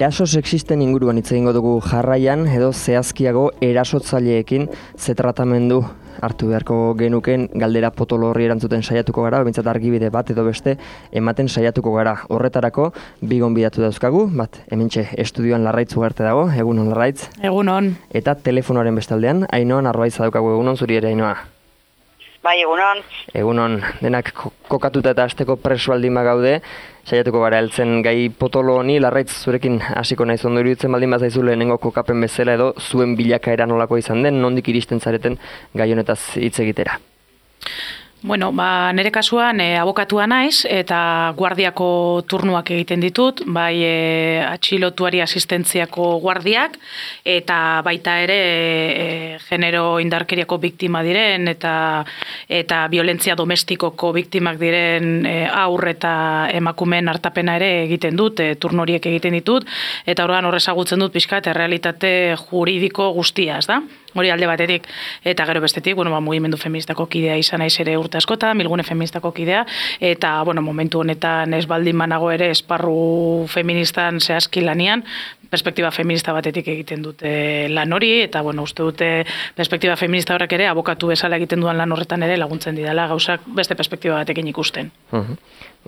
Eraso sexisten inguruan hitz egingo dugu jarraian edo zehazkiago erasotzaileekin ze tratamendu hartu beharko genuken galdera potolo horri erantzuten saiatuko gara, behintzat argibide bat edo beste ematen saiatuko gara. Horretarako bi gonbidatu dauzkagu, bat hementxe estudioan Larraitz Ugarte dago, egunon Larraitz. Egunon. Eta telefonoaren bestaldean, Ainhoa Narbaitza daukagu, egunon zuri ere Ainhoa. Bai, egunon. Egunon, denak kokatuta eta hasteko preso baldin bagaude, saiatuko gara heltzen gai potolo honi. Larraitz, zurekin hasiko naiz, ondo iruditzen baldin bazaizu lehenengo kokapen bezala edo zuen bilakaera nolako izan den, nondik iristen zareten gai honetaz hitz egitera. Bueno, nire kasuan abokatua naiz eta guardiako turnuak egiten ditut, bai atxilotuari asistentziako guardiak eta baita ere genero indarkeriako biktima diren eta violentzia domestikoko biktimak diren haur eta emakumeen hartapena ere egiten dut, turno horiek egiten ditut, eta orduan hor ezagutzen dut pixkat errealitate juridiko guztia, ez da? Hori alde batetik, eta gero bestetik, mugimendu feministako kidea izan naiz ere urte askotan, Bilgune feministako kidea, eta momentu honetan ez baldin banago ere esparru feministan zehazki lanian, perspektiba feminista batetik egiten dute lan hori, eta uste dute perspektiba feminista horrek ere abokatu bezala egiten duan lan horretan ere laguntzen didala gauzak beste perspektiba batekin ikusten.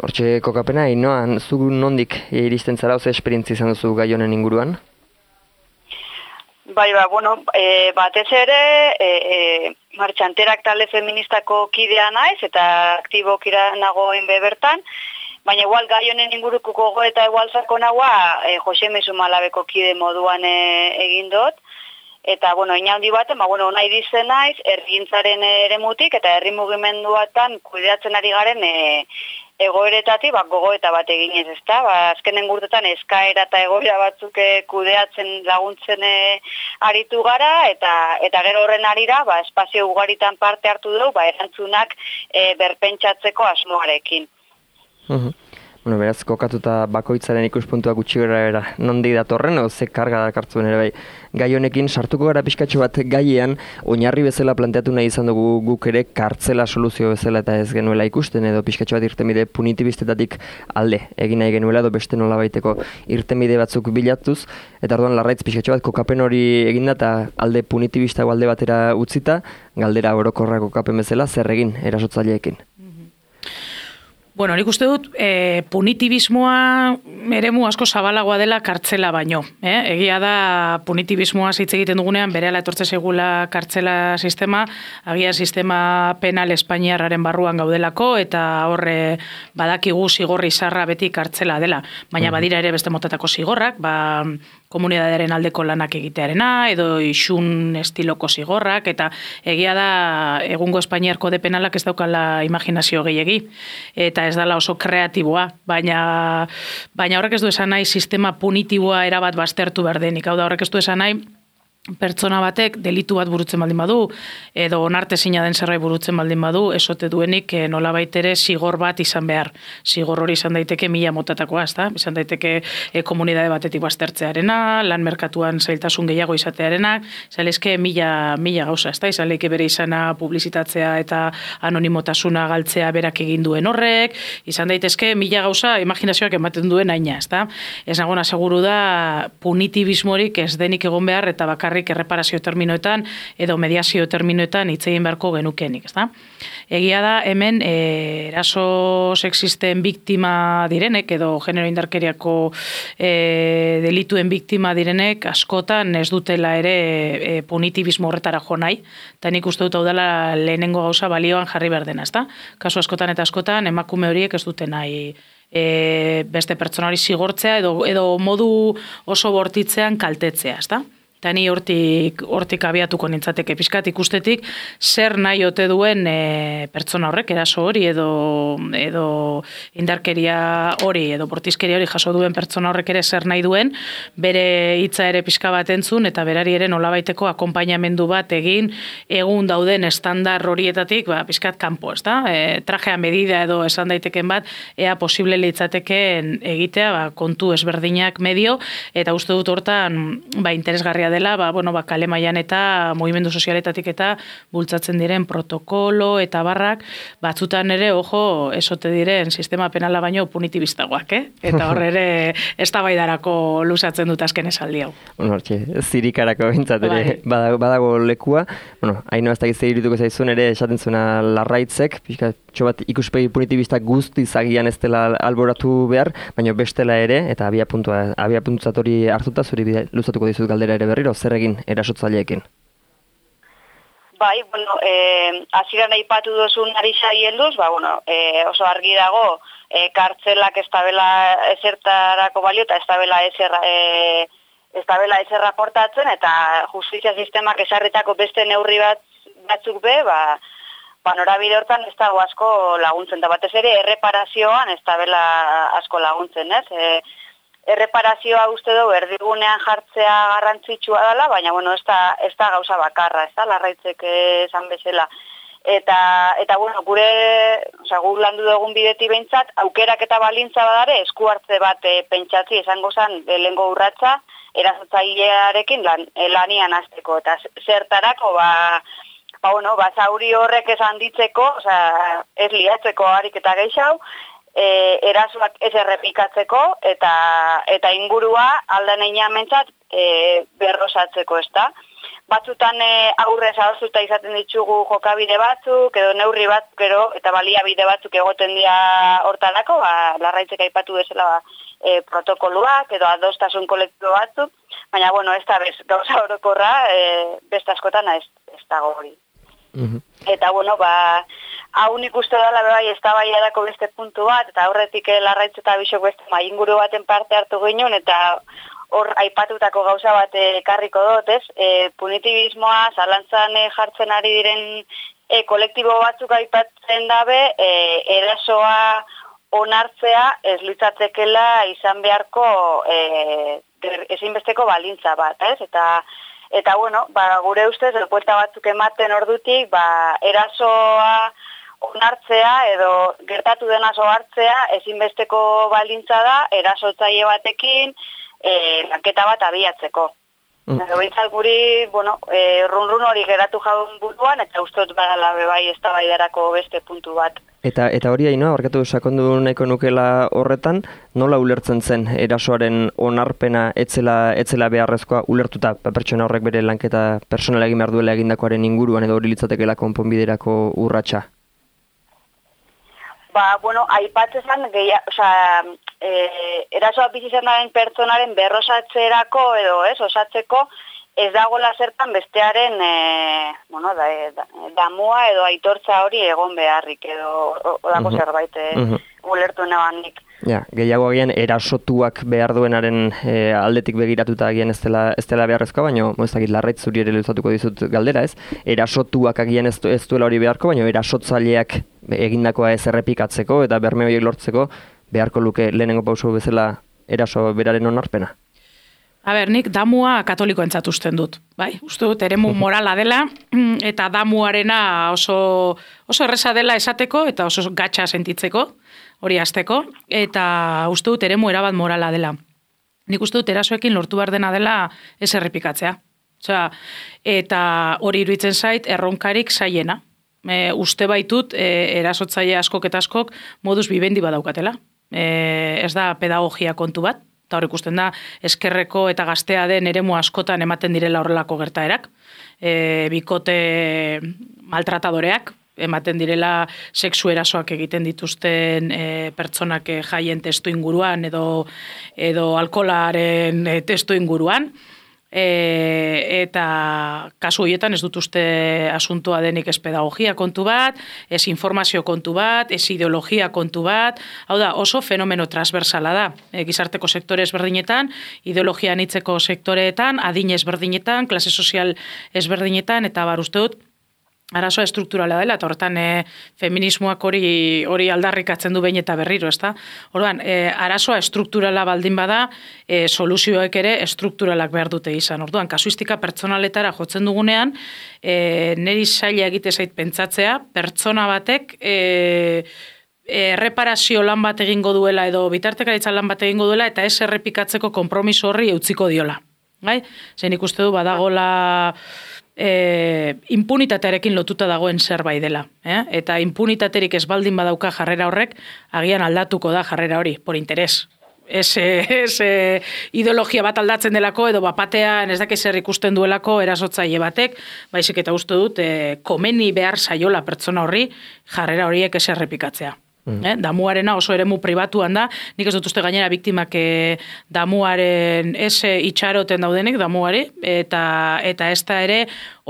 Hortxe kokapena, Ainhoa, zu nondik iristen zara, oze esperientzia izan duzu gai honen inguruan? Bai, batez ere, martxanterak talde feministako kidea naiz, eta aktibokira nagoen bertan, baina igual gai honen inguruko gogo eta igual sakonagoa Jose Mezu Malabeko kide moduan egin dut, eta, inaundi baten, nahi dizen naiz, herrigintzaren eremutik eta herri mugimenduatan kudeatzen ari garen egoeretatik gogoeta bat eginez, ezta? Azkenen urtetan eskaera eta egoera batzuk kudeatzen laguntzen aritu gara, eta gero horren arira, espazio ugaritan parte hartu dugu, erantzunak berpentsatzeko asmoarekin. Beraz, kokatuta bakoitzaren ikuspuntua gutxi gara nondik datorren, ze karga dakartzuen ere bai. Gai honekin sartuko gara pixkatxo bat gaiean, oinarri bezala planteatu nahi izan dugu guk ere kartzela soluzio bezala eta ez genuela ikusten, edo pixkatxo bat irtenbide punitibistetatik alde egin nahi genuela, edo beste nola baiteko irtenbide batzuk bilatuz, eta orduan Larraitz pixkatxo bat kokapen hori eginda eta alde punitibista alde batera utzita, galdera orokorra kokapen bezala, zer egin erasotzaileekin. Nik uste dut, punitibismoa eremu asko zabalagoa dela kartzela baino. Egia da, punitibismoa hitz egiten dugunean, berehala etortze segula kartzela sistema, agia sistema penal espainiarraren barruan gaudelako, eta horre badakigu zigorri zarra beti kartzela dela. Baina badira ere beste motatako zigorrak, komunitatearen aldeko lanak egitearena, edo isun estiloko zigorrak, eta egia da, egungo Espainiar kode penalak ez daukala imaginazio gehiegi, eta ez dala oso kreatiboa, baina horrek ez du esan nahi sistema punitiboa erabat baztertu behar denik, hau da horrek ez du esan nahi pertsona batek delitu bat burutzen baldin badu, edo onartezina den zerbait burutzen baldin badu, esote duenik nolabait ere zigor bat izan behar. Zigor hori izan daiteke 1000 motatakoa, ezta? Izan daiteke komunitate batetik baztertzearena, lan merkatuan zailtasun gehiago izatearena, izalezke 1000 gauza, ezta? Izaleke bere izana publizitatzea eta anonimotasuna galtzea berak egin duen horrek, izan daitezke 1000 gauza imaginazioak ematen duen aina, ezta? Ez nagona seguru da punitibismorik ez denik egon behar eta bakarrik erreparazio terminoetan edo mediazio terminoetan hitz egin beharko genukenik, ezta? Egia da hemen eraso sexisten biktima direnek edo genero indarkeriako delituen biktima direnek askotan ez dutela ere punitibismo horretara jo nahi, eta nik uste dut hau dela lehenengo gauza balioan jarri behar dena, ezta? Kasu askotan eta askotan emakume horiek ez dute nahi beste pertsona hori zigortzea edo modu oso bortitzean kaltetzea, ezta? Eta ni hortik abiatuko nintzateke pixkat ikustetik zer nahi ote duen pertsona horrek, eraso hori edo indarkeria hori edo bortizkeria hori jaso duen pertsona horrek ere zer nahi duen, bere hitza ere pixka bat entzun eta berari ere nolabaiteko akonpainamendu bat egin egun dauden estandar horietatik pixkat kanpo, ezta? Trajea medida edo esan daiteken bat, ea posible litzateken egitea kontu ezberdinak medio, eta uste dut hortan interesgarria interesgarria dela, kale mailan eta mugimendu sozialetatik eta bultzatzen diren protokolo eta barrak, batzutan ere, esote diren sistema penala baino punitibistagoak, Eta hor ere eztabaidarako luzatzen dut azken esaldi hau. Zirikarako bintzat ere badago lekua. Haino ez da gizte irituko zaizun ere esaten zuena Larraitzek, pixkatxo bat ikuspegi punitibista guztiz agian ez dela alboratu behar, baina bestela ere, eta abiapuntzat hori hartuta, zuri luzatuko dizut galdera ere berriro, zer egin erasotzaileekin? Bai, hasieran aipatu duzun ari helduz, oso argi dago, kartzelak ez dabela ezertarako balio eta ez dabela ezer raportatzen, eta justizia sistemak esarritako beste neurri batzuk norabide hortan ez dago asko laguntzen, eta batez ere erreparazioan ez dabela asko laguntzen, ez? Erreparazioa uste dugu erdigunean jartzea garrantzitsua dela, baina ez da gauza bakarra, ez da, Larraitzek esan bezala. Eta guk landu dugun bideti behintzat, aukerak eta balintza badare, esku hartze bat pentsatzi esango zen lehengo urratsa, erasotzailearekin lanian hasteko, eta zertarako, zauri horrek esan ditzeko, ez liatzeko harik eta gehiago, erasoak ez errepikatzeko eta ingurua aldan einean mentzat berrosatzeko, ez da. Batzutan aurrez adostuta izaten ditugu jokabide batzuk, edo neurri batzuk, eta baliabide batzuk egoten dira hortarako, Larraitzek aipatu bezala protokoluak, edo adostasun kolektibo batzuk, baina, ez da gauza orokorra, beste askotan ez dago hori. Eta, hau nik uste dela bai eztabaidarako beste puntu bat, eta aurretik Larraitz eta Bixok beste inguru baten parte hartu ginen, eta hor aipatutako gauza bat ekarriko dut, ez? Punitibismoa, zalantzan jartzen ari diren kolektibo batzuk aipatzen dabe, erasoa onartzea ez litzatekela izan beharko ezinbesteko balintza bat, ez? Eta gure ustez, buelta batzuk ematen ordutik, erasoa onartzea edo gertatu dena hartzea ezinbesteko balintza da, erasotzaile batekin lanketa bat abiatzeko. Behintzat guri, run hori geratu jaun buruan, eta ustot badala bai eztabaidarako beste puntu bat. Eta hori Ainhoa, barkatu sakondu nahiko nukela horretan, nola ulertzen zen erasoaren onarpena etzela beharrezkoa ulertuta pertsona horrek bere lanketa personala egin behar duela egindakoaren inguruan edo hori litzatekeela konponbiderako urratsa? Aipatzen erasoa bizi izan daren pertsonaren berrosatzerako edo osatzeko ez dagoela zertan bestearen damua edo aitortza hori egon beharrik edo odako zerbait ulertu nebanik. Gehiago agian erasotuak behar duenaren aldetik begiratuta agian ez dela beharrezkoa, baina Larraitz zuri ere luzatuko dizut galdera, ez? Erasotuak agian ez duela hori beharko, baina erasotzaileak egindakoa ez errepikatzeko eta berme horiek lortzeko beharko luke lehenengo pauso bezala eraso beraren onarpena. Nik damua katoliko entzatuzten dut. Uste dut, eremu morala dela, eta damuarena oso erresa dela esateko, eta oso gatsa sentitzeko, hori hasteko, eta uste dut, eremu erabat morala dela. Nik uste dut, erasoekin lortu behar dena dela ez errepikatzea. Eta hori iruditzen zait, erronkarik zaiena. Uste baitut, erasotzaile askok eta askok modus vivendi badaukatela. Ez da pedagogia kontu bat, eta hor ikusten da, eskerreko eta gaztea den eremu askotan ematen direla horrelako gertaerak. Bikote maltratadoreak, ematen direla sexu erasoak egiten dituzten pertsonak jaien testu inguruan edo alkoholaren testu inguruan. Eta kasu horietan ez dut uste asuntoa denik ez pedagogia kontu bat, ez informazio kontu bat, ez ideologia kontu bat, hau da oso fenomeno transversala da, gizarteko sektore ezberdinetan, ideologia anitzeko sektoreetan, adin ezberdinetan, klase sozial ezberdinetan, eta uste dut arazoa estrukturala dela, eta horretan feminismoak hori aldarrikatzen du behin eta berriro, ezta? Orduan, arazoa estrukturala baldin bada, soluzioek ere estrukturalak behar dute izan. Orduan, kasuistika pertsonaletara jotzen dugunean, niri zaila egite zait pentsatzea, pertsona batek erreparazio lan bat egingo duela edo bitartekaritza lan bat egingo duela eta ez errepikatzeko konpromiso horri eutziko diola. Bai? Zein ikuste du badagola impunitatearekin lotuta dagoen zerbait dela. Eta impunitaterik ez baldin badauka jarrera horrek, agian aldatuko da jarrera hori, por interes. Ez ideologia bat aldatzen delako, edo bapatean ez dakiz zer ikusten duelako erasotzaile batek, baizik eta uste dut komeni behar saiola pertsona horri jarrera horiek ez errepikatzea. Damuarena oso eremu pribatuan da, nik ez dut uste gainera biktimak damuaren itxaroten daudenik damuari, eta ez da ere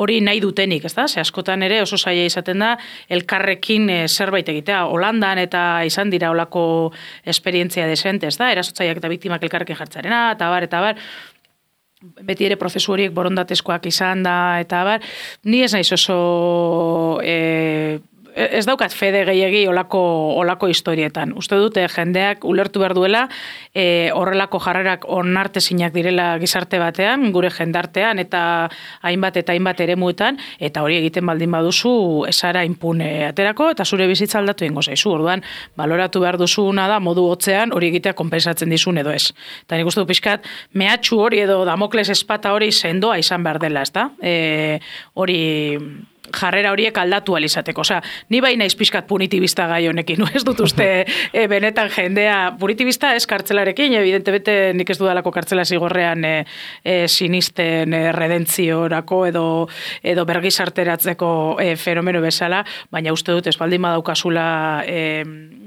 hori nahi dutenik, ez da? Ze askotan ere oso zaila izaten da elkarrekin zerbait egitea. Holandan eta izan dira olako esperientzia desente, ez da? Erasotzaileak eta biktimak elkarrekin jartzarena, eta bar, beti ere prozesu horiek borondatezkoak izan da, eta bar, ni ez naiz oso ez daukat fede gehiegi olako historietan. Uste dute jendeak ulertu behar duela horrelako jarrerak onartezinak direla gizarte batean, gure jendartean eta hainbat eremuetan, eta hori egiten baldin baduzu esara impune aterako, eta zure bizitza aldatu ingo zaizu. Orduan, baloratu behar duzuna da modu hotzean hori egitea konpensatzen dizun edo ez. Eta nik uste du pixkat, mehatxu hori edo Damokles espata hori sendoa izan behar dela, ez da? Hori jarrera horiek aldatu alizateko. Osea, ni bai naiz pixkat punitibista gai honekin, ez dut uste benetan jendea punitibista ez kartzelarekin, evidentemente nik ez dudalako kartzela zigorrean sinisten redentziorako edo bergizarteratzeko fenomeno bezala, baina uste dut ez baldin badaukazula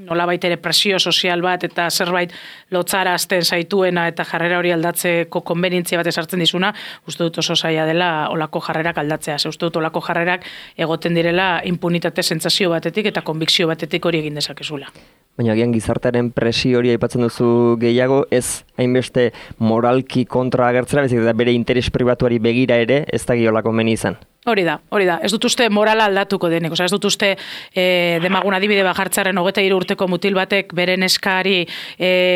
nolabait ere presio sozial bat eta zerbait lotzara azten zaituena eta jarrera hori aldatzeko konbenientzia bat esartzen dizuna, uste dut oso zaila dela olako jarrerak aldatzea. Uste dut olako jarrerak egoten direla impunitate sentsazio batetik eta konbikzio batetik hori egin dezakezula. Baina agian gizartearen presio hori aipatzen duzu gehiago, ez hainbeste moralki kontra agertzera, bezik eta bere interes pribatuari begira ere ez da giolako meni izan. Hori da. Ez dut uste morala aldatuko denik. Ez dut uste demagun adibide bat jartzaren 23 urteko mutil batek beren eskari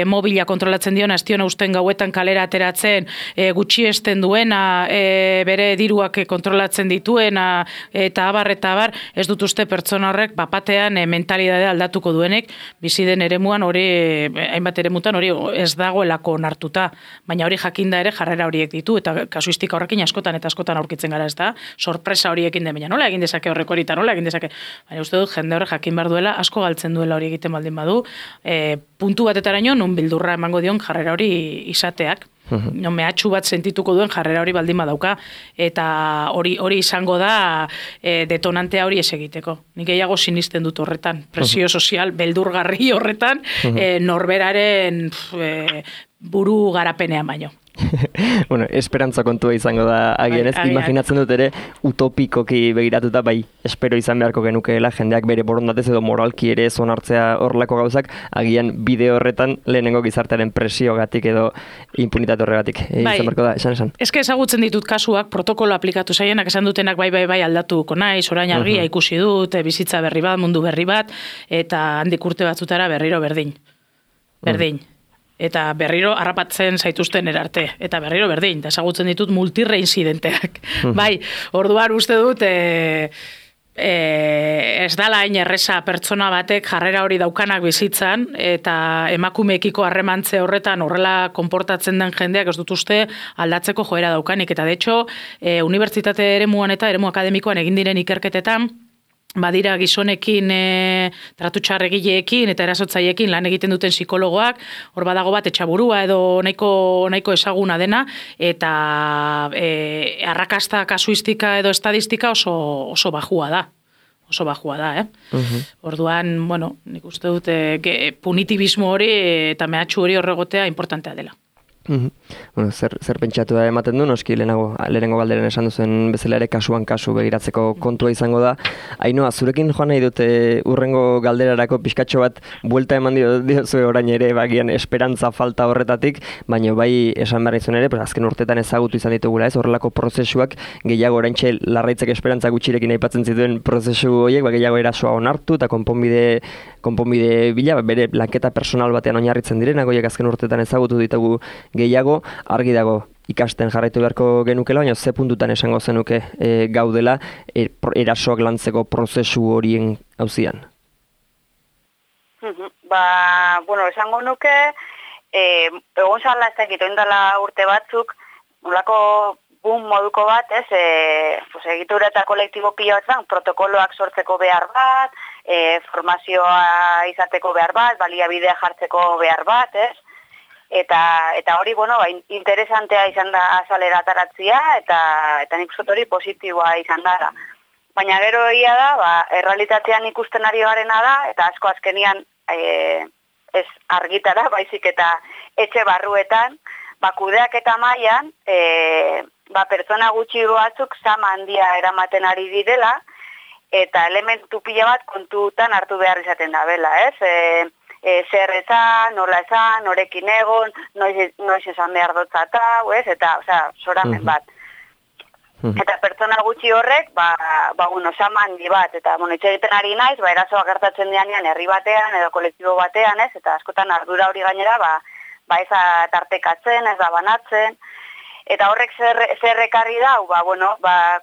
mobila kontrolatzen diona, ez diona usten gauetan kalera ateratzen, gutxiesten duena, bere diruak kontrolatzen dituena, eta abar, ez dut uste pertsona horrek bapatean mentalidadea aldatuko duenik, bizi den eremuan hori, hainbat eremutan hori ez dagoelako onartuta, baina hori jakinda ere jarrera horiek ditu, eta kasuistika horrekin askotan aurkitzen gara, ez da? Sorpresa horiekin den, baina nola egin dezake horrek hori, eta nola egin dezake. Baina uste dut, jende horrek jakin behar duela, asko galtzen duela hori egiten baldin badu, puntu batetaraino, nun bildurra emango dion jarrera hori izateak. Mehatxu bat sentituko duen jarrera hori baldin badauka, eta hori izango da detonantea hori ez egiteko. Nik gehiago sinisten dut horretan, presio sozial, beldurgarri horretan, norberaren buru garapenean baino. Bueno, esperantza kontua izango da agian ez, imaginatzen dut ere utopikoki begiratuta, bai, espero izan beharko genukeela, jendeak bere borondatez edo moralki ere ez onartzea horrelako gauzak, agian bide horretan lehenengo gizartearen presiogatik edo impunitate horregatik. Izan beharko da, esan. Eske ezagutzen ditut kasuak, protokolo aplikatu zaienak, esan dutenak bai aldatuko naiz, orain argia ikusi dut, bizitza berri bat, mundu berri bat, eta handik urte batzutara berriro berdin. Eta berriro harrapatzen zaituzten erarte. Eta berriro berdin, eta ezagutzen ditut multireinzidenteak. Bai, orduan uste dut, ez dala hain erresa pertsona batek jarrera hori daukanak bizitzan, eta emakumeekiko harremantze horretan horrela konportatzen den jendeak ez dut uste aldatzeko joera daukanik. Eta de hecho, unibertsitate eremuan eta eremu akademikoan egin diren ikerketetan, badira gizonekin tratu txarregileekin eta erasotzaiekin lan egiten duten psikologoak, hor badago bat etxaburua edo nahiko ezaguna dena, eta arrakasta kasuistika edo estadistika oso bajua da. Orduan, bueno, nik uste dut punitibismo hori eta mehatxu hori horregotea importantea dela. Bueno, zer pentsatu da ematen du, noski lehenengo galderen esan duzen bezala ere kasuan kasu begiratzeko kontua izango da. Ainhoa, zurekin joan nahi dute urrengo galderarako pixkatxo bat buelta eman diozue orain ere, bagian esperantza falta horretatik, baina bai esan behar izan ere, azken urtetan ezagutu izan ditugula ez, horrelako prozesuak gehiago oraintxe larraitzek esperantza gutxirekin aipatzen zituen prozesu horiek, gehiago erasoa onartu eta konponbide bila, bere lanketa personal batean oinarritzen direnak, horiek azken urtetan ezagutu ditugu gehiago, argi dago ikasten jarraitu beharko genukela, baina ze puntutan esango zenuke gaudela erasoak lantzeko prozesu horien auzian? Bueno, esango nuke, egon zala ez dakit, oindala urte batzuk, nolako boom moduko bat, ez, pues, egitura eta kolektibo pila batzan, protokoloak sortzeko behar bat, formazioa izateko behar bat, baliabidea jartzeko behar bat, ez, eta hori, bueno, interesantea izan da azalera ataratzia, eta nik uste hori positiboa izan dara. Baina gero egia da, errealitatean ikusten ari garena da, eta asko azkenian ez argitara, baizik eta etxe barruetan, kudeak eta mailan, pertsona gutxi batzuk zama handia eramaten ari direla, eta elementu pila bat kontutan hartu behar izaten da bela, ez? Zer esan, nola esan, norekin egon, noiz esan behar dotzata, ez? Eta, zoramen bat. Eta pertsona gutxi horrek, zama handi bat, eta, itxe egiten ari naiz, erasoa gertatzen dianean herri batean, edo kolektibo batean, ez? Eta askotan ardura hori gainera, ez da tartekatzen, ez da banatzen, eta horrek zer ekarri dau,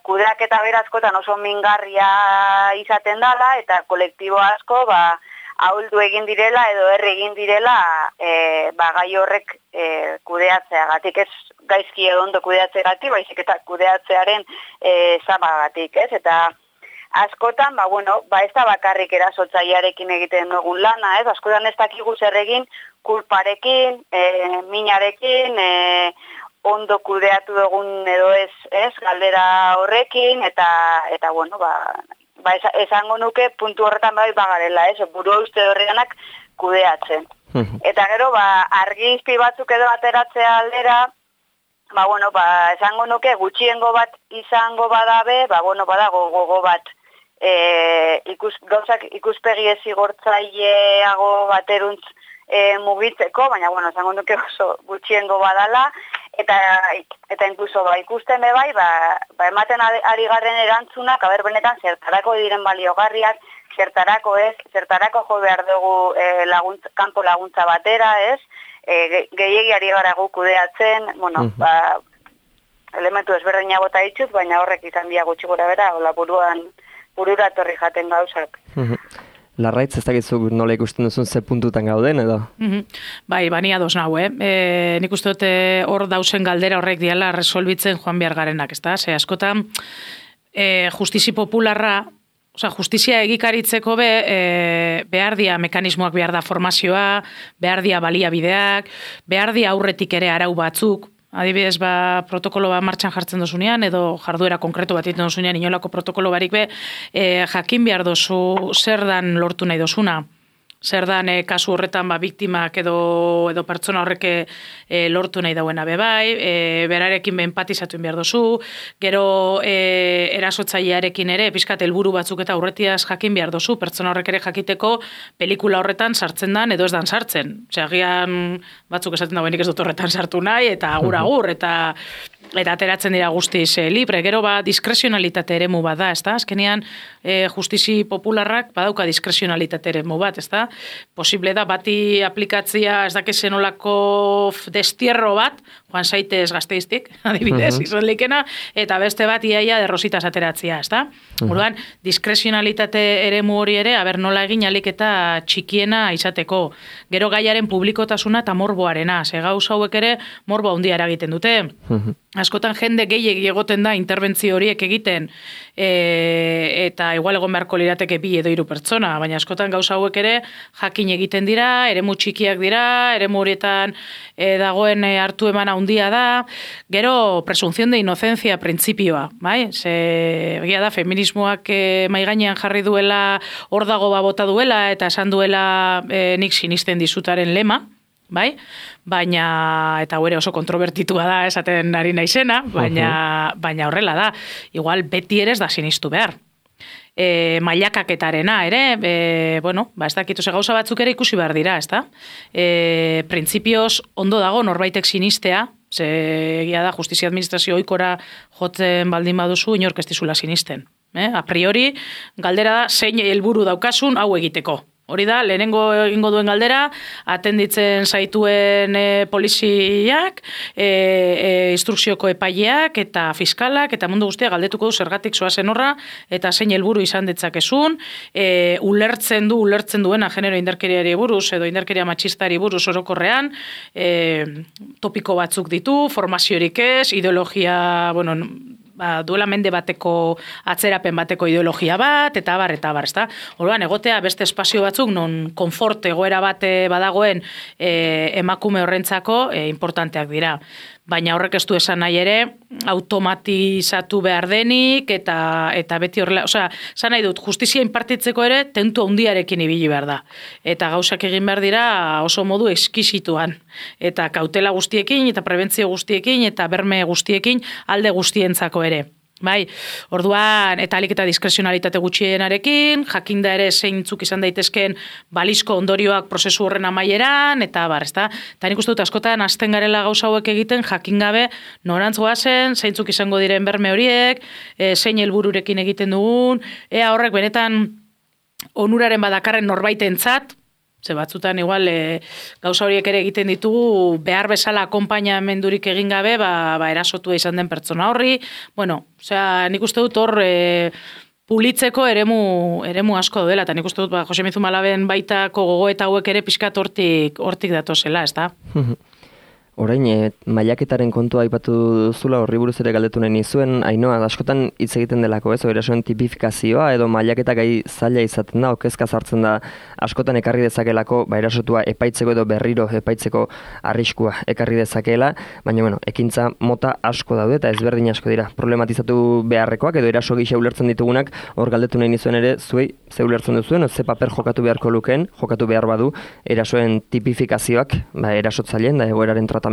kudeak eta berazkotan oso mingarria izaten dala, eta kolektibo asko, ahuldu egin direla edo herri egin direla gai horrek kudeatzeagatik, ez gaizki edo ondo kudeatzeagatik, baizik eta kudeatzearen zamagatik, ez? Eta askotan, ez da bakarrik erasotzailearekin egiten dugun lana, ez? Askotan ez dakigu zer egin kulparekin, minarekin, ondo kudeatu dugun edo ez, galdera horrekin, eta esango nuke puntu horretan bagarela, ez? Burua uste horreganak kudeatzen. Eta gero, argizpi batzuk edo ateratzea aldera, esango nuke gutxiengo bat izango badabe, badago gogo bat gauzak ikuspegi ezigortzaileago bateruntz mugitzeko, baina, esango nuke oso gutxiengo badala, eta inkluso ikusten bebai, ematen ari garren erantzunak, benetan zertarako diren baliogarriak, zertarako ez, zertarako jo behar dugu kanpo laguntza batera, ez, gehiegi ari gara gu kudeatzen, elementu ezberdina bota ditut, baina horrek izan dia gutxi gora bera, burura torri jaten gauzak. Larraitz, ez dakizu nola ikusten duzun ze puntutan gauden, edo? Bani ados nau, nik uste dute hor dausen galdera horrek diala resolbitzen joan behar garenak, ez da? Ze askotan, justizi popularra, justizia egikaritzeko behar dia mekanismoak, behar da formazioa, behar dia baliabideak, behar dia aurretik ere arau batzuk, adibidez, protokolo martxan jartzen dozunean, edo jarduera konkretu bat egiten dozunean, inolako protokolo barik jakin behar dozu zer dan lortu nahi dozuna. Zer dan kasu horretan biktimak edo pertsona horrek lortu nahi dauena bebai, berarekin empatizatu behar dozu, gero erasotzailearekin ere, pizkat helburu batzuk eta aurretiaz jakin behar dozu, pertsona horrek ere jakiteko pelikula horretan sartzen dan edo ez dan sartzen. Agian batzuk esaten dauenik ez dut horretan sartu nahi, eta agur, eta ateratzen dira guztiz libre. Gero diskresionalitate eremu bat da, ez da? Azkenean justizi popularrak badauka diskresionalitate eremu bat, ez da? Posible da bati aplikatzia ez dakizen olako destierro bat, joan zaitez Gasteiztik, adibidez, izanlikena, eta beste bat iaia derrositas ateratzia, ez da? Orduan, diskresionalitate eremu hori ere, nola egin alik eta txikiena izateko. Gero gaiaren publikotasuna eta morboarena, ze gauza hauek ere morbo handia eragiten dute. Askotan jende gehiegi egoten da interbentzio horiek egiten, eta igual egon beharko lirateke 2 edo 3 pertsona, baina askotan gauza hauek ere jakin egiten dira, eremu txikiak dira, eremu horietan dagoen hartu eman handia da, gero presunción de inocencia printzipioa, bai? Egia da, feminismoak mahai gainean jarri duela, hor dago bota duela, eta esan duela nik sinisten dizutaren lema, bai? Baina, eta hori oso kontrobertitua da esaten ari naizena, baina horrela da. Igual beti ere ez da sinistu behar. Mailakaketarena ere, ez dakitu ze gauza batzuk ere ikusi behar dira, ez da? Printzipioz ondo dago norbaitek sinistea, ze egia da justizia administrazio oikora jotzen baldin baduzu inork ez dizula sinisten. A priori, galdera da zein helburu daukasun hau egiteko. Hori da, lehenengo egingo duen galdera, atenditzen zaituen poliziak, instrukzioko epaileak eta fiskalak, eta mundu guztia galdetuko du zergatik zoazen horra, eta zein helburu izan ditzakezun, ulertzen duena genero indarkeriari buruz, edo indarkeria matxistari buruz orokorrean, topiko batzuk ditu, formaziorik ez, ideologia, duela mende bateko, atzerapen bateko ideologia bat, eta abar, ezta? Orduan, egotea beste espazio batzuk, non konfort egoera bate badagoen emakume horrentzako importanteak dira. Baina horrek ez du esan nahi ere, automatizatu behar denik, eta beti horrela, esan nahi dut, justizia inpartitzeko ere, tentu handiarekin ibili behar da. Eta gauzak egin behar dira oso modu eskisituan. Eta kautela guztiekin, eta prebentzio guztiekin, eta berme guztiekin, alde guztientzako ere. Bai, orduan, eta alik eta diskrezionalitate gutxienarekin, jakinda ere zeintzuk izan daitezken balizko ondorioak prozesu horren amaieran, eta ezta? Eta nik uste dut askotan hasten garela gauza hauek egiten, jakingabe norantz goazen, zeintzuk izango diren berme horiek, zein helbururekin egiten dugun, ea horrek benetan onuraren badakarren norbaitentzat, ze batzutan igual gauza horiek ere egiten ditugu behar bezala akonpainamendurik egin gabe, erasotua izan den pertsona horri. Nik uste dut hor pulitzeko eremu asko dela, eta nik uste dut Jose Mizumalaben baitako gogoeta hauek ere pixkat hortik datozela, ez da? Orain, mailaketaren kontua aipatu duzula, horri buruz ere galdetu nahi nizuen, Ainhoa, askotan hitz egiten delako, ez, erasoen tipifikazioa, edo mailaketa gai zaila izaten da, okezka sartzen da, askotan ekarri dezakelako, erasotua epaitzeko edo berriro epaitzeko arriskua ekarri dezakeela, baina, ekintza mota asko daude, eta ezberdin asko dira, problematizatu beharrekoak, edo eraso gisa ulertzen ditugunak, hor galdetu nahi nizuen ere, zuei, ze ulertzen duzuen, ze paper jokatu beharko lukeen, jokatu behar badu, erasoen tipifikazioak, erasotzaileen da egoeraren tratamenduan.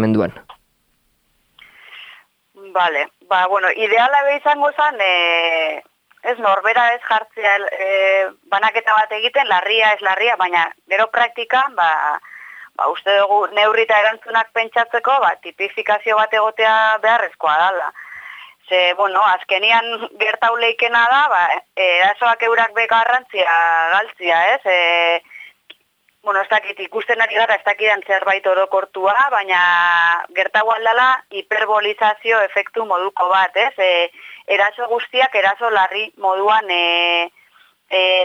Vale, ideala be izango zen, ez norbera ez jartzea banaketa bat egiten, larria ez larria, baina gero praktikan, uste dugu neurri eta erantzunak pentsatzeko, tipifikazio bat egotea beharrezkoa dala. Ze, azkenian gertau leikena da, erasoak eurak begarrantzia galtzia, ez? Ez dakit ikusten ari gara, ez dakidan zerbait orokortua, baina gertau aldala hiperbolizazio efektu moduko bat, ez? Eraso guztiak eraso larri moduan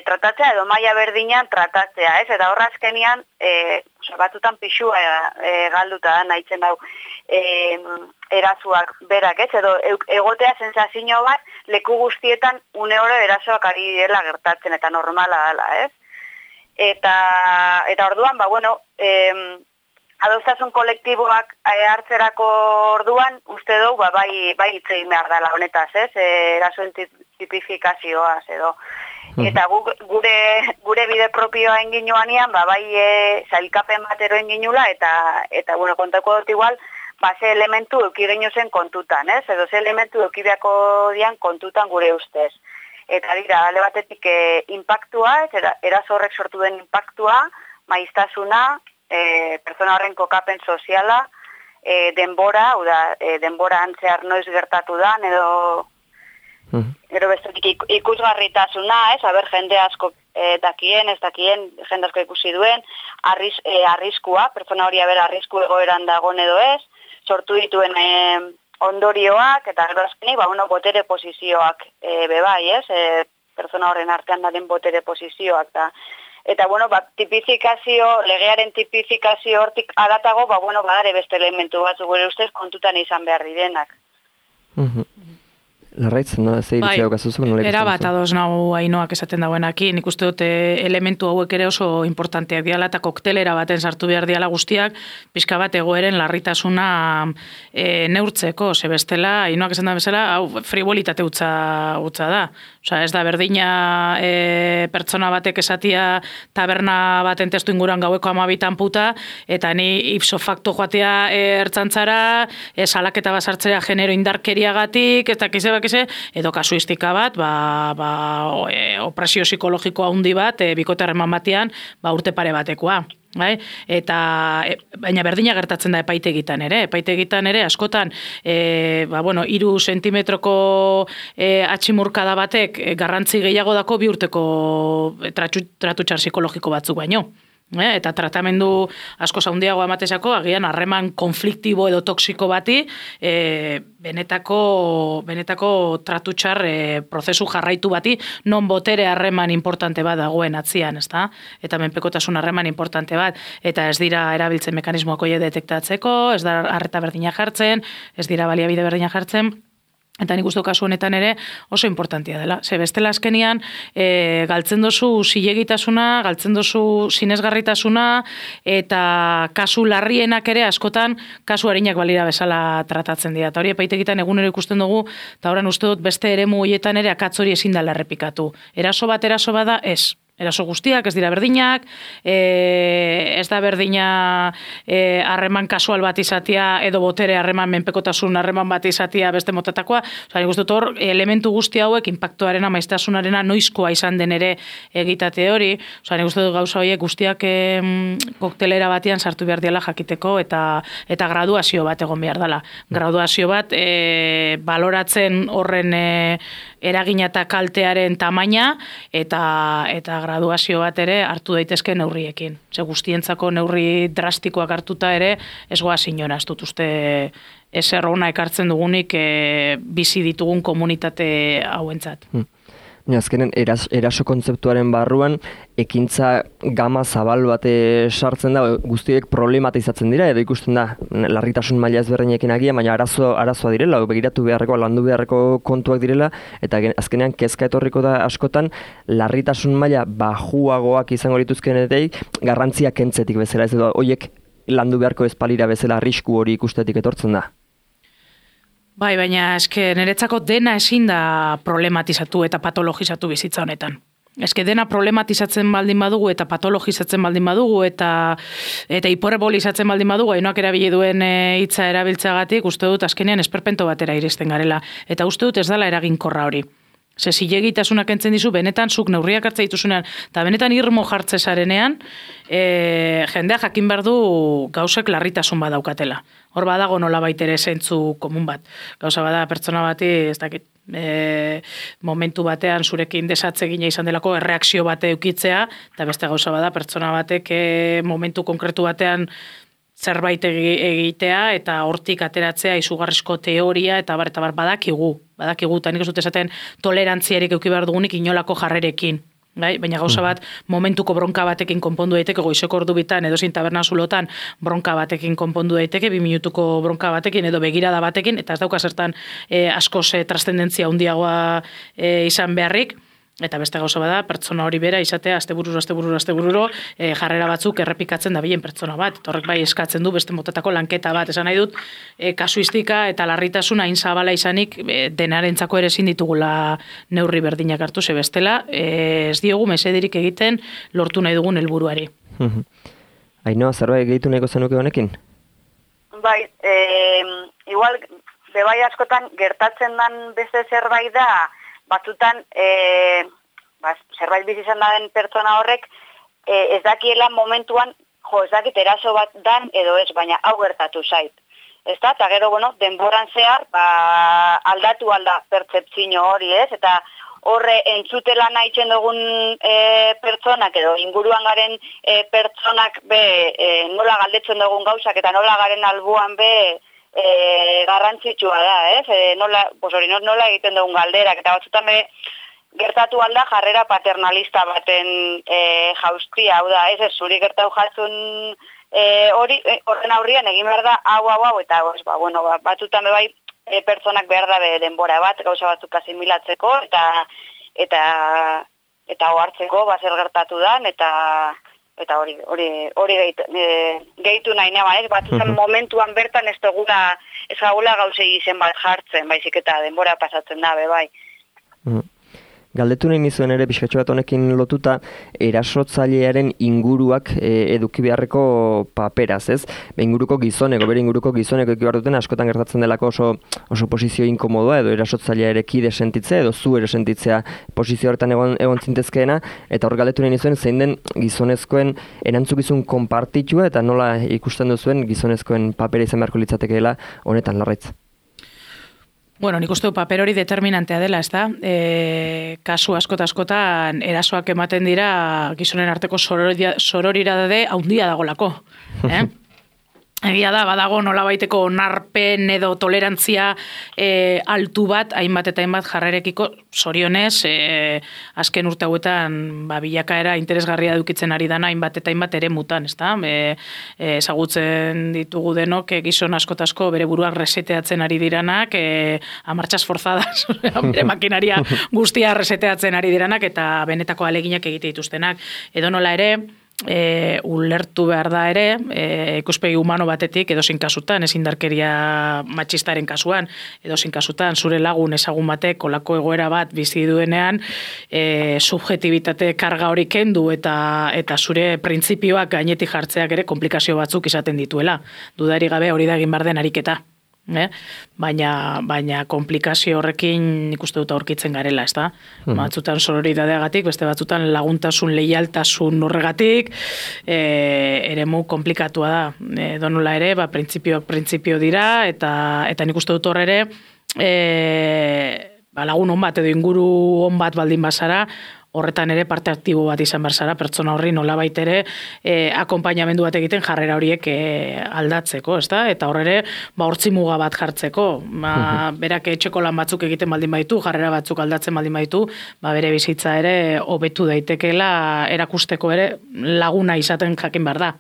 tratatzea edo maila berdinean tratatzea, ez? Eta horra azkenian, batzutan pixua galduta da nahitzen dau erasoak berak, ez? Edo egotea sensazio bat leku guztietan une oro erasoak ari dela gertatzen eta normala dela, ez? Eta orduan, adostasun kolektiboak hartzerako orduan, uste dugu, bai hitz egin behar dela honetaz, ez? Erasoen tipifikazioaz, edo. Eta gure bide propioa enginoanean, zailkapen batero enginula, eta kontako dut igual, ze elementu euki genio zen kontutan, ez? Edo ze elementu euki beharko dian kontutan gure ustez. Eta dira, alde batetik impactua, eraso horrek sortu den impactua, maiztasuna, pertsona horren kokapen soziala, denbora, denbora antzear noiz gertatu da, edo bestetik ikusgarritasuna, ez, jende asko dakien, ez dakien, jende asko ikusi duen, arriskua, pertsona hori arrisku egoeran dagoen edo ez, sortu dituen ondorioak, eta gero azkenik, botere posizioak bebai, ez? Pertsona horren artean den botere posizioak. Eta, tipifikazio, legearen tipifikazio hortik adatago, badare beste elementu batzu gure ustez kontutan izan behar direnak. Larraitz, ze iritzia daukazuzuk? Erabat ados nago Ainhoak esaten dauenakin, nik uste dut elementu hauek ere oso importanteak diala eta koktelera baten sartu behar diala guztiak, pixka bat egoeren larritasuna neurtzeko, ze bestela, Ainhoak esan da bezala, hau fribolitate utza da. Osa, ez da berdina pertsona batek esatia taberna baten testu inguruan gaueko 12 puta, eta ni ipso facto joatea ertzantzara, salaketa basartzea genero indarkeriagatik, eta edo kasuistika bat, opresio psikologikoa handi bat, bikote harreman batean, urte pare batekoa. Bai? Baina berdina gertatzen da epaitegitan ere. Epaitegitan ere askotan 3 sentimetroko atximurkada batek garrantzi gehiago dako 2 urteko tratutxar psikologiko batzuk baino. Eta tratamendu asko handiago amatesako, agian harreman konfliktibo edo toksiko bati benetako tratutxar prozesu jarraitu bati non botere harreman importante bat dagoen atzian, ezta? Eta menpekotasun harreman importante bat, eta ez dira erabiltzen mekanismoak hoe detektatzeko, ez da arreta berdina jartzen, ez dira baliabide berdina jartzen. Eta nik uste kasu honetan ere oso importantia dela. Ze bestela azkenian galtzen dozu zilegitasuna, galtzen dozu sinesgarritasuna, eta kasu larrienak ere askotan kasu arinak balira bezala tratatzen dira. Eta hori epaitegitan egunero ikusten dugu, eta horren uste dut beste eremu horietan ere akatz hori ezin dela errepikatu. Eraso bada, ez. Eraso guztiak ez dira berdinak, ez da berdina harreman kasual bat izatea edo botere harreman menpekotasun harreman bat izatea beste motatakoa. Nik uste dut hor elementu guzti hauek inpaktuarena, maiztasunarena noizkoa izan den ere egitate hori. Nik uste dut gauza horiek guztiak koktelera batean sartu behar diala jakiteko eta graduazio bat egon behar dela. Graduazio bat baloratzen horren eragina eta kaltearen tamaina eta graduazio bat ere hartu daitezke neurriekin. Ze guztientzako neurri drastikoak hartuta ere ez goaz inora, ez dut uste ezer ona ekartzen dugunik bizi ditugun komunitate hauentzat. Azkenen, eraso kontzeptuaren barruan, ekintza gama zabal bate sartzen da, guztiek problematizatzen dira, edo ikusten da, larritasun maila ezberdinekin agian, baina arazoa direla, begiratu beharreko, landu beharreko kontuak direla, eta azkenean kezka etorriko da askotan, larritasun maila bajuagoak izango dituzkenetik, garrantzia kentzetik bezala, ez edo, horiek landu beharko ezpalira bezala arrisku hori ikustetik etortzen da. Bai, baina eske niretzako dena ezin da problematizatu eta patologizatu bizitza honetan. Eske dena problematizatzen baldin badugu eta patologizatzen baldin badugu eta hiperbolizatzen baldin badugu, hainoak erabili duen hitza erabiltzeagatik, uste dut azkenean esperpento batera iristen garela. Eta uste dut ez dela eraginkorra hori. Ze zilegitasunak entzen dizu, benetan zuk neurriak hartza dituzunean, eta benetan irmo jartze zarenean, jendea jakin behar du gauzek larritasun badaukatela. Hor badago nolabait ere zentzu komun bat. Gauza bada pertsona bati, ez dakit, momentu batean zurekin desatze gina izan delako erreakzio bate eukitzea, eta beste gauza bada pertsona batek momentu konkretu batean zerbait egitea eta hortik ateratzea izugarrizko teoria eta bar badakigu, eta nik ez dut esaten tolerantziarik eduki behar dugunik inolako jarrerekin. Bai? Baina gauza bat momentuko bronka batekin konpondu daiteke, goizeko ordu bitan edo zein taberna zulotan bronka batekin konpondu daiteke, 2 minutuko bronka batekin edo begirada batekin, eta ez dauka zertan askoz trascendentzia handiagoa izan beharrik. Eta beste gauza bada, pertsona hori bera izatea astebururo jarrera batzuk errepikatzen dabilen pertsona bat. Eta horrek bai eskatzen du beste motatako lanketa bat. Esan nahi dut, kasuistika eta larritasuna hain zabala izanik denarentzako ere ezin ditugula neurri berdinak hartu, ze bestela ez diogu mesederik egiten lortu nahi dugun helburuari. Ainhoa, zerbait gehitu nahiko zenuke honekin? Bai, igual, bebai askotan gertatzen dan beste zerbait da, batzutan, zerbait bizi izan den pertsona horrek, ez dakiela momentuan, ez dakit eraso bat dan edo ez, baina hau gertatu zait. Ez da, eta gero, denboran zehar, aldatu alda pertzeptzio hori, ez? Eta horre entzutela nahitzen dugun pertsonak edo inguruan garen pertsonak nola galdetzen dugun gauzak eta nola garen albuan garrantzitsua da, ez? Nola egiten dugun galderak, eta batzutan gertatu alda jarrera paternalista baten jauztia, hau da, ez zuri gertatu jatzun horren aurrian egin behar da, hau, eta batzutan bai pertsonak behar da denbora bat, gauza batzuk asimilatzeko, eta ohartzeko zer gertatu dan, eta hori gehitu nahi nema, ez? Batzutan momentuan bertan ez gaula gauzei izen bat jartzen, baizik eta denbora pasatzen da, bai. Galdetu nahi nizuen ere pixkatxo bat honekin lotuta erasotzailearen inguruak eduki beharreko paperaz, ez? Inguruko gizoneko, bere inguruko gizoneko eduki behar duten askotan gertatzen delako oso posizio inkomodoa edo erasotzaileare kide sentitzea edo zu ere sentitzea posizio horretan egon zintezkeena, eta hor galdetu nahi nizuen zein den gizonezkoen erantzukizun konpartitua eta nola ikusten duzuen gizonezkoen papera izan beharko litzatekeela honetan, Larraitz. Bueno, nik uste du paper hori determinantea dela, ez da? Kasu askotan erasoak ematen dira gizonen arteko sororidade haundia dagolako. Egia da, badago nolabaiteko onarpen edo tolerantzia altu bat, hainbat eta hainbat jarrerekiko, zorionez, azken urte hauetan bilakaera interesgarria dukitzen ari dana hainbat eta hainbat ere mutan, ez da? Ezagutzen ditugu denok gizon asko bere buruak reseteatzen ari diranak, amartxas forzadas, bere makinaria guztia reseteatzen ari diranak eta benetako aleginak egite dituztenak. Edo nola ere, ulertu behar da ere, ikuspegi humano batetik edozein kasutan, ez indarkeria matxistaren kasuan, edozein kasutan zure lagun ezagun batek olako egoera bat bizi duenean, subjetibitate karga hori kendu eta zure printzipioak gainetik jartzeak ere komplikazio batzuk izaten dituela. Dudarik gabe hori da egin behar den ariketa. Baina komplikazio horrekin ikuste dut aurkitzen garela, ez da? Batzutan sororidadeagatik, beste batzutan laguntasun, leialtasun horregatik, eremu komplikatua da. Donola ere, printzipio dira, eta nik uste dut hor ere, lagun hon bat edo inguru hon bat baldin bazara, horretan ere parte aktibo bat izan berzara, pertsona horri nolabait ere akonpainamendu bat egiten jarrera horiek aldatzeko, ezta? Eta horre hortzi muga bat jartzeko, berak etxeko lan batzuk egiten baldin baitu, jarrera batzuk aldatzen baldin baitu, bere bizitza ere hobetu daitekeela erakusteko ere laguna izaten jakin behar da.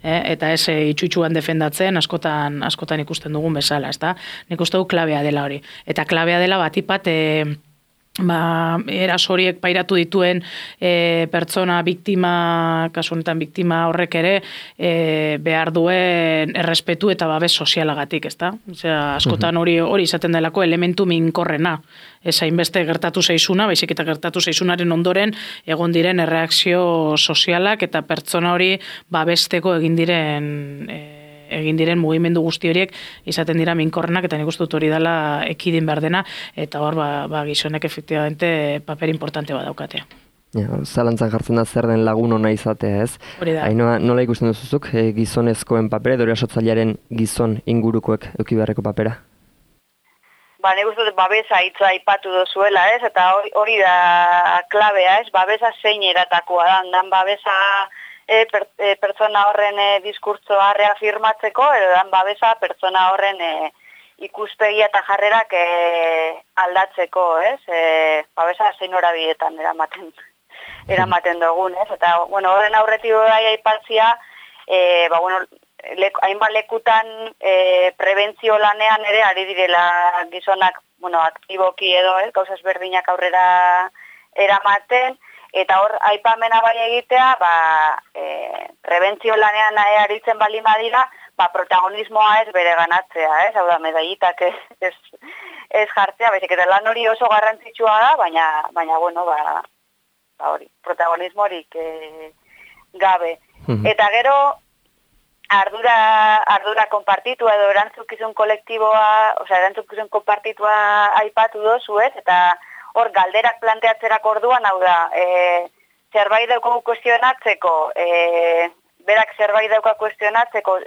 Eta ez itxutxuan defendatzen askotan ikusten dugun bezala, ezta? Nik uste du klabea dela hori. Eta klabea dela batipat eraso horiek pairatu dituen pertsona biktima, kasu honetan biktima horrek ere behar duen errespetu eta babes sozialagatik, ezta? Osea, askotan hori izaten delako elementu minkorrena. Ez hainbeste gertatu zaizuna, baizik eta gertatu zaizunaren ondoren egon diren erreakzio sozialak eta pertsona hori babesteko egin diren mugimendu guzti horiek izaten dira minkorrenak, eta nik uste dut hori dela ekidin behar dena, eta hor gizonek efektibamente paper importante badaukatea. Zalantzan jartzen da zer den lagun ona izatea, ez? Hori da. Ainhoa, nola ikusten duzuzuk gizonezkoen papera, edo erasotzailearen gizon ingurukoek eduki beharreko papera? Nik uste dut babesa hitza aipatu dozuela, ez? Eta hori da klabea, ez? Babesa zein eratakoa da, dan babesa pertsona horren diskurtsoa reafirmatzeko, edo dan babesa pertsona horren ikuspegia eta jarrerak aldatzeko, ez? Babesa zein horabietan eramaten dugun, ez? Eta, horren aurretik bai aipatzia, hainbat lekutan prebentzio lanean ere ari direla gizonak, aktiboki edo, gauza ezberdinak aurrera eramaten, eta hor aipamena bai egitea, prebentzio lanean aritzen baldin badira, protagonismoa ez bere ganatzea, ez? Hau da, medallitak ez jartzea, baizik eta lan hori oso garrantzitsua da, baina hori, protagonismorik gabe. Eta gero, ardura konpartitua edo erantzukizun kolektiboa, erantzukizun konpartitua aipatu dozu, ez? Eta hor galderak planteatzerako orduan, hau da, zerbait daukagu kuestionatzeko, berak zerbait dauka kuestionatzeko,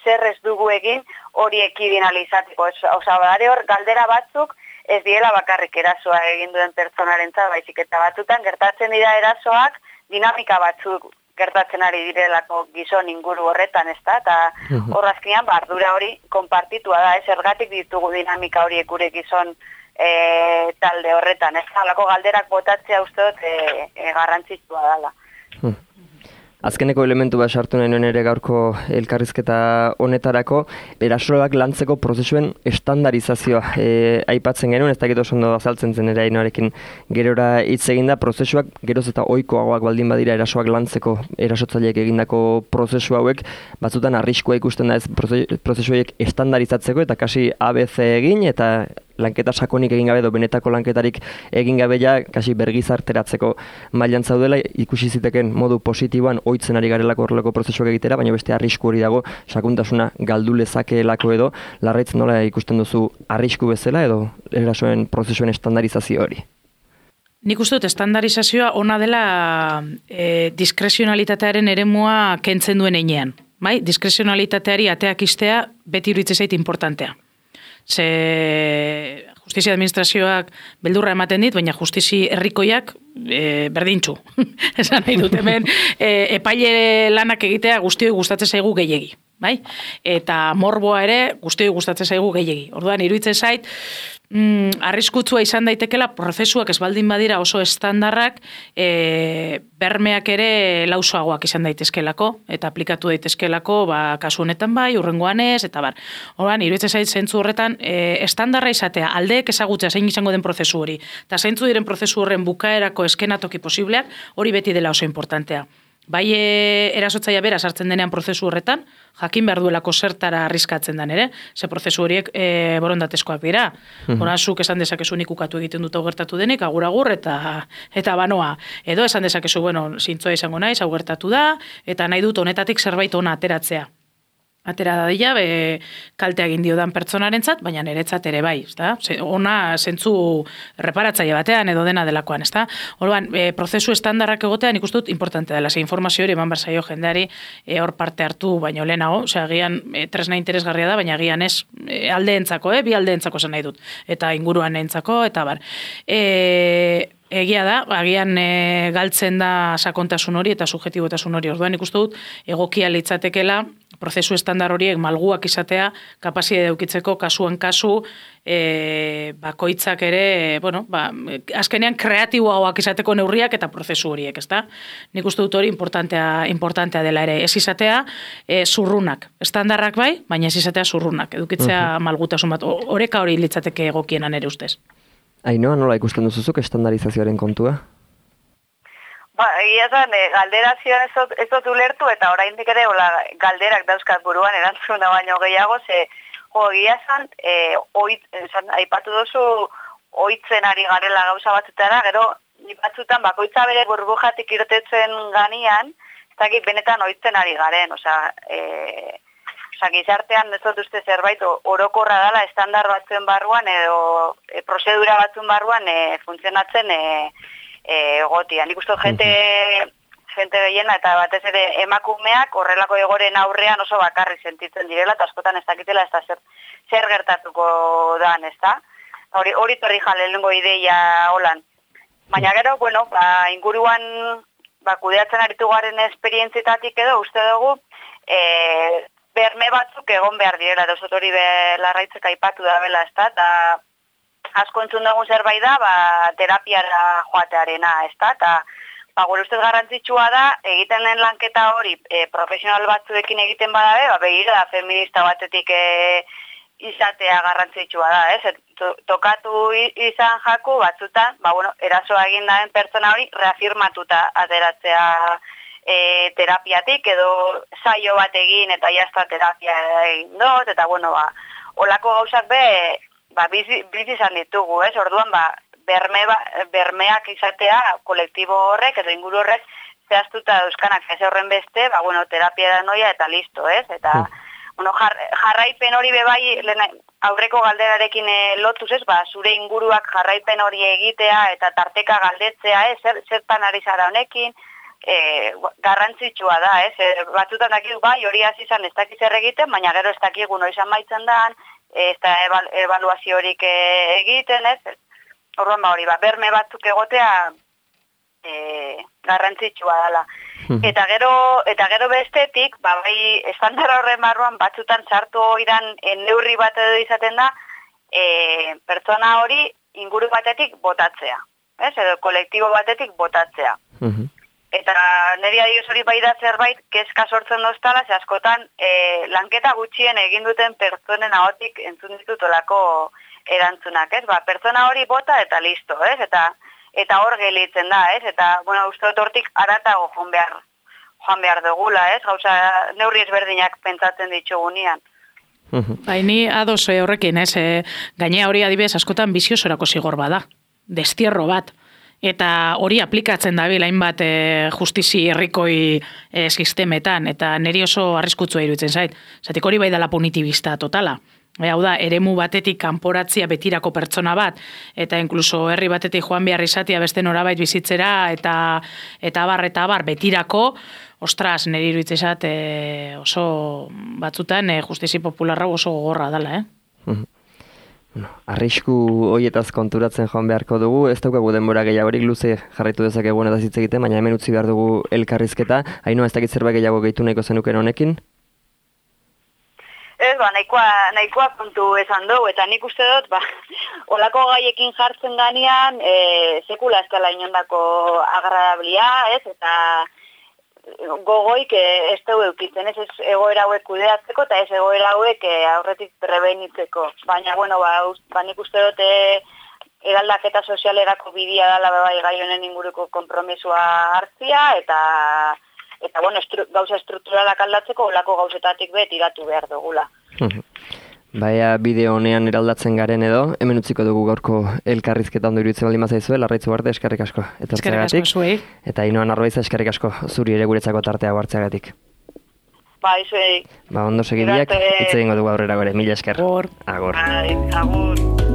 zer ez dugu egin hori ekidin alizateko. Badare hor, galdera batzuk ez diela bakarrik erasoa egin duen pertsonarentza, baizik eta batzutan gertatzen dira erasoak dinamika batzuk gertatzen ari direlako gizon inguru horretan, ez da? Eta horrazkian, ardura hori konpartitua da, zergatik ditugu dinamika horiek gure gizon talde horretan, ez halako galderak botatzea uste dut garrantzitsua dela. Azkeneko elementu bat sartu nahi nuen ere gaurko elkarrizketa honetarako, erasoak lantzeko prozesuen estandarizazioa aipatzen genuen, ez dakit oso ondo azaltzen zen ere Ainhoarekin gerora hitz eginda, prozesuak geroz eta ohikoagoak baldin badira erasoak lantzeko erasotzaileek egindako prozesu hauek, batzutan arriskua ikusten da ez prozesu horiek estandarizatzeko eta kasi ABC egin eta lanketa sakonik egin gabe edo benetako lanketarik egin gabe ja kasi bergizarteratzeko mailan zaudela, ikusi ziteken modu positiboan ohitzen ari garelako horrelako prozesuak egitera, baina beste arrisku hori dago sakontasuna galdu lezakeelako edo. Larraitz, nola ikusten duzu arrisku bezala edo erasoen prozesuen estandarizazio hori? Nik uste dut estandarizazioa ona dela diskrezionalitatearen eremua kentzen duen einean. Bai? Diskrezionalitateari ateak istea beti iruditzen zait importantea. Ze justizia administrazioak beldurra ematen dit, baina justizi herrikoiak berdintxu. Esan nahi dut hemen, epaile lanak egitea guztioi gustatzen zaigu gehiegi. Bai? Eta morboa ere guztioi gustatzen zaigu gehiegi. Orduan, iruditzen zait, arriskutsua izan daitekela prozesuak ez baldin badira oso estandarrak bermeak ere lausoagoak izan daitezkelako eta aplikatu daitezkelako kasu honetan bai, urrengoan ez, eta bar. Orduan, iruditzen zait zentzu horretan estandarra izatea, aldeek ezagutzea zein izango den prozesu hori, eta zeintzu diren prozesu horren bukaerako eskenatoki posibleak, hori beti dela oso importantea. Bai erasotzaia bera sartzen denean prozesu horretan, jakin behar duelako zertara arriskatzen den ere, ze prozesu horiek borondatezkoak dira. Horazuk esan dezakezu nik ukatu egiten dut hau gertatu denik, agur eta banoa. Edo esan dezakezu, zintzoa izango naiz, hau gertatu da, eta nahi dut honetatik zerbait ona ateratzea. Atera dadila, kaltea egin diodan pertsonarentzat, baina niretzat ere bai, ezta? Ona zentzu reparatzaile batean edo dena delakoan, ezta? Orduan, prozesu estandarrak egotean ikusten dut importante dela, ze informazio hori eman behar zaio jendeari hor parte hartu baino lehenago, agian tresna interesgarria da, agian ez aldeentzako, bi aldeentzako zen nahi dut, eta inguruan entzako, eta bar. Egia da, agian galtzen da sakontasun hori eta subjetibotasun hori. Orduan ikusten dut egokia litzatekela prozesu estandar horiek malguak izatea, kapazitate edukitzeko kasuan kasu, bakoitzak ere, azkenean kreatiboagoak izateko neurriak eta prozesu horiek, ezta? Nik uste dut hori importantea dela ere. Ez izatea zurrunak, estandarrak bai, baina ez izatea zurrunak, edukitzea malgutasun bat. Oreka hori litzateke egokienan ere ustez. Ainhoa, nola ikusten duzuzuk estandarizazioaren kontua? Egia zen, galderazioan ez dut ulertu eta oraindik ere galderak dauzkat buruan erantzuna baino gehiago, egia zen, aipatu duzu ohitzen ari garela gauza batzutara, gero batzutan bakoitza bere burbujatik irtetzen ganian, ez dakit benetan ohitzen ari garen, gizartean ez dut uste zerbait orokorra dela estandar batzuen barruan edo prozedura batzuen barruan funtzionatzen egotia. Nik uste jente gehiena eta batez ere emakumeak horrelako egoren aurrean oso bakarri sentitzen direla eta askotan ez dakitela ez da zer gertatuko dan, ez da? Hori torri lehenengo ideia holan. Baina gero, inguruan kudeatzen aritu garen esperientzietatik edo uste dugu berme batzuk egon behar direla, dozot hori Larraitzek aipatu da bela, ez da, eta asko entzun dugun zerbait da, terapiara joatearena, ez da, eta gure ustez garrantzitsua da, egiten den lanketa hori profesional batzuekin egiten badabe, begira da feminista batetik izatea garrantzitsua da, ez? Tokatu izan jaku batzutan, erasoa egin daren pertsona hori reafirmatuta ateratzea terapiatik edo saio bat egin eta jazta terapia egin dut, eta olako gauzak bizi izan ditugu, ez? Orduan, bermeak izatea kolektibo horrek edo inguru horrek zehaztuta dauzkanak ez horren beste, terapia da noia eta listo, ez? Eta, jarraipen hori bebai, aurreko galderarekin lotuz, ez? Zure inguruak jarraipen hori egitea eta tarteka galdetzea, ez? Zertan ari zara honekin, garrantzitsua da, ez? Batzutan dakigu hori hasi izan ez dakiz egiten, baina gero ez dakigu noiz amaitzen dan, ez da ebaluazio horik egiten, ez? Orduan berme batzuk egotea garrantzitsua dela. Eta gero bestetik, estandar horren barruan batzutan sartu oidan neurri bat edo izaten da, pertsona hori inguru batetik botatzea, ez? Edo kolektibo batetik botatzea. Eta niri adioz hori bai da zerbait, kezka sortzen doztala, ze askotan lanketa gutxien egin duten pertsonen ahotik entzun ditutolako erantzunak, ez? Pertsona hori bota eta listo, ez? Eta hor gelitzen da, ez? Eta, uste dut hortik aratago joan behar dugula, ez? Gauza neurri ezberdinak pentsatzen ditugunean. Baini ados horrekin, gainea hori adibidez askotan biziosorako zigor bada, destierro bat. Eta hori aplikatzen dabil hainbat justizi herrikoi sistemetan, eta niri oso arriskutsua iruditzen zait. Zatik hori bai dela punitibista totala. Hau da, eremu batetik kanporatzia betirako pertsona bat, eta inkluso herri batetik joan behar izatea beste norabait bizitzera, eta bar betirako, ostras, niri iruditzen zait oso batzutan justizi popularra oso gogorra dela, Arrisku hoietaz konturatzen joan beharko dugu, ez daukagu denbora gehiagorik luze jarraitu dezakegu honetaz hitz egiten, baina hemen utzi behar dugu elkarrizketa. Ainhoa, ez dakit zerbait gehiago gehitu nahiko zenuken honekin? Ez, nahikoa kontu esan dugu, eta nik uste dut, olako gaiekin jartzen ganean, sekula ez dela inondako agradablia, ez, eta gogoik ez dugu eukitzen, ez egoera hauek kudeatzeko eta ez egoera hauek aurretik prebenitzeko. Baina, nik uste dut eraldaketa sozialerako bidea dela bai gai honen inguruko konpromisua hartzia, eta gauza estrukturalak aldatzeko olako gauzetatik tiratu behar dugula. Baina bideo honean eraldatzen garen edo, hemen utziko dugu gaurko elkarrizketa ondo iruditzen baldin bazaizue, Larraitz Ugarte, eskerrik asko. Eskerrik asko zuei. Eta Ainhoa Narbaiza, eskerrik asko zuri ere guretzako tartea hartzeagatik. Zuei. Ondo segidiak, hitz egingo dugu aurrera gore, mila esker. Agor. Agur.